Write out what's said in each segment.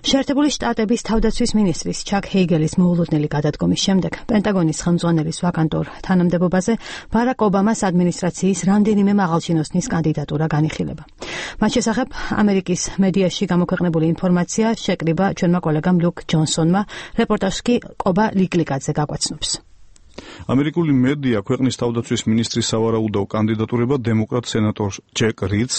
შეერთებული შტატების თავდაცვის მინისტრის ჩაკ ჰეიგელის მოულოდნელი გადადგომის შემდეგ პენტაგონის ხელმძღვანელის ვაკანტურ თანამდებობაზე ბარაკ ობამას ადმინისტრაციის რამდენიმე მაღალჩინოსნის კანდიდატურა განიხილება. მათ შესახებ ამერიკის მედიაში გამოქვეყნებული ინფორმაცია შეკრიბა ჩვენმა კოლეგამ ლუკ ჯონსონმა, რეპორტაჟს კი ყობა ლიკლიკაძე გაგვაცნობს. ამერიკული მედია ქვეყნის თავდაცვის ministris სავარაუდო კანდიდატურება დემოკრატ სენატორ ჯეკ რიდს,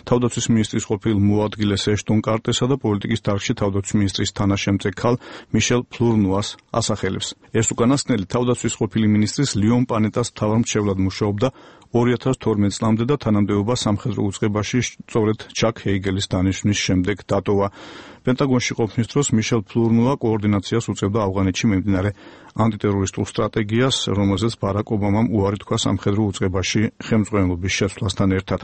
თავდაცვის ministris ყოფილ მოადგილეს ეშტონ კარტესა და პოლიტიკის დარგში თავდაცვის ministris თანაშემწე ქალ მიშელ ფლურნუას ასახელებს. ეს უკანასკნელი თავდაცვის ყოფილი ministris ლიონ პანეტას მთავარმრჩევლად მუშაობდა 2012 წლამდე და თანამდებობა სამხედრო უწყებაში სწორედ ჩაკ ჰეიგელის დანიშვნის შემდეგ დატოვა. პენტაგონში ყოფნის დროს მიშელ ფლურნუა კოორდინაციას უწევდა ავღანეთში მიმდინარე ანტიტერორისტულ სტრატეგიას, რომელზეც ბარაკ ობამამ უარი თქვა სამხედრო უწყებაში ხელმძღვანელობის შეცვლასთან ერთად.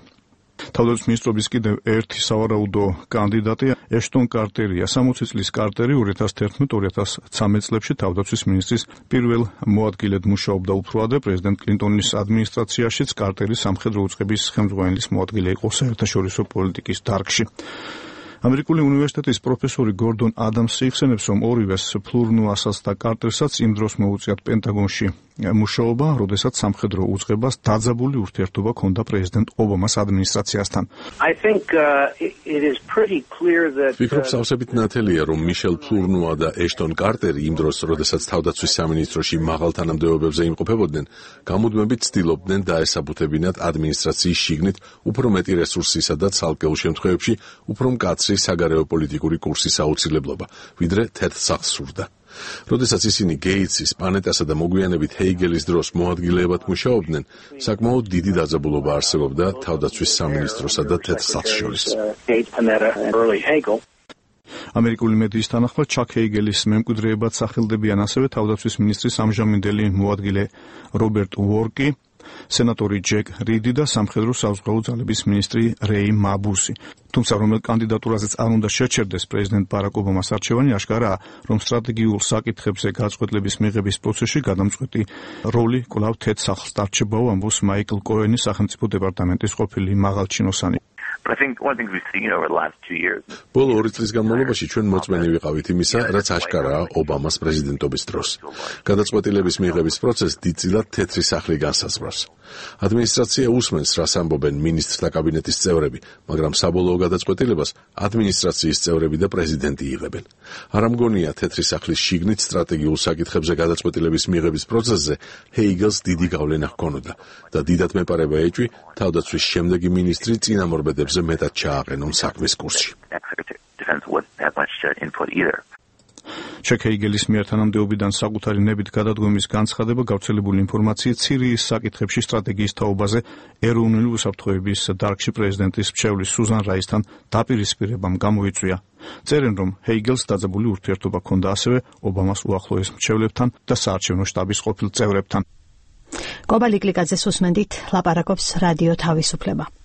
თავდაცვის მინისტრობის კიდევ ერთი სავარაუდო კანდიდატი ეშტონ კარტერია. 60 წლის კარტერი 2011-2013 წლებში თავდაცვის მინისტრის პირველ მოადგილედ მუშაობდა უფრო ადრე პრეზიდენტ კლინტონის ადმინისტრაციაშიც კარტერი სამხედრო უწყების ხელმძღვანელის მოადგილე იყო საერთაშორისო პოლიტიკის დარგში. ამერიკული უნივერსიტეტის პროფესორი გორდონ ადამსი იხსენებს, რომ ორივეს ფლურნუასაც და კარტერსაც იმ დროს მოუწიათ პენტაგონში მუშაობა, როდესაც სამხედრო უწყებას დაძაბული ურთიერთობა ჰქონდა პრეზიდენტ ობამას ადმინისტრაციასთან. ვფიქრობ, სავსებით ნათელია, რომ მიშელ ფლურნუა და ეშტონ კარტერი იმ დროს, როდესაც თავდაცვის სამინისტროში მაღალ თანამდებობებზე იმყოფებოდნენ, გამუდმებით ცდილობდნენ დაესაბუთებინათ ადმინისტრაციის შიგნით უფრო მეტი რესურსისა და ცალკეულ შემთხვევებში უფრო მკაცრი საგარეო პოლიტიკური კურსის აუცილებლობა, ვიდრე თეთრ სახლს სურდა. როდესაც ისინი გეიტსის, პანეტასა და მოგვიანებით ჰეიგელის დროს მოადგილეებად მუშაობდნენ, საკმაოდ დიდი დაძაბულობა არსებობდა თავდაცვის სამინისტროსა და თეთრ სახლს შორის. ამერიკული მედიის თანახმად ჩაკ ჰეიგელის მემკვიდრეებად სახელდებიან ასევე თავდაცვის მინისტრის ამჟამინდელი მოადგილე რობერტ უორკი, სენატორი ჯეკ რიდი და სამხედრო საზღვაო ძალების მინისტრი რეი მაბუსი. თუმცა რომელ კანდიდატურაზეც არ უნდა შეჩერდეს პრეზიდენტ ბარაკ ობამას არჩევანი, აშკარაა, რომ სტრატეგიულ საკითხებზე გაწყვეტილების მიღების პროცესში გადამწყვეტი როლი კვლავ თეთრ სახლს დარჩებაო, ამბობს მაიკლ კოენი, სახელმწიფო დეპარტამენტის ყოფილი მაღალჩინოსანი. ბოლო 2 წლის განმავლობაში ჩვენ მოწმენი ვიყავით იმისა, რაც აშკარაა ობამას პრეზიდენტობის დროს. გადაწყვეტილების მიღების პროცესს დიდწილად თეთრი სახლი განსაზღვრავს. ადმინისტრაცია უსმენს, რას ამბობენ მინისტრთა კაბინეტის წევრები, მაგრამ საბოლოო გადაწყვეტილებას ადმინისტრაციის წევრები და პრეზიდენტი იღებენ. არ ამგონია თეთრი სახლის შიგნით სტრატეგიულ საკითხებზე გადაწყვეტილების მიღების პროცესზე ჰეიგელს დიდი გავლენა ჰქონოდა და დიდად მეპარება ეჭვი თავდაცვის შემდეგი მინისტრი წინამორბედებზე მეტად ჩააყენონ საქმის კურსში. ჩაკ ჰეიგელის მიერ თანამდებობიდან საკუთარი ნებით გადადგომის განცხადება გავრცელებული ინფორმაციით სირიის საკითხებში სტრატეგიის თაობაზე ეროვნული უსაფრთხოების დარგში პრეზიდენტის მრჩევლის სუზან რაისთან დაპირისპირებამ გამოიწვია. წერენ, რომ ჰეიგელს დაძაბული ურთიერთობა ჰქონდა ასევე ობამას უახლოეს მრჩევლებთან და საარჩევნო შტაბის ყოფილ წევრებთან. ყობა ლიკლიკაძეს უსმენდით, ლაპარაკობს რადიო თავისუფლება.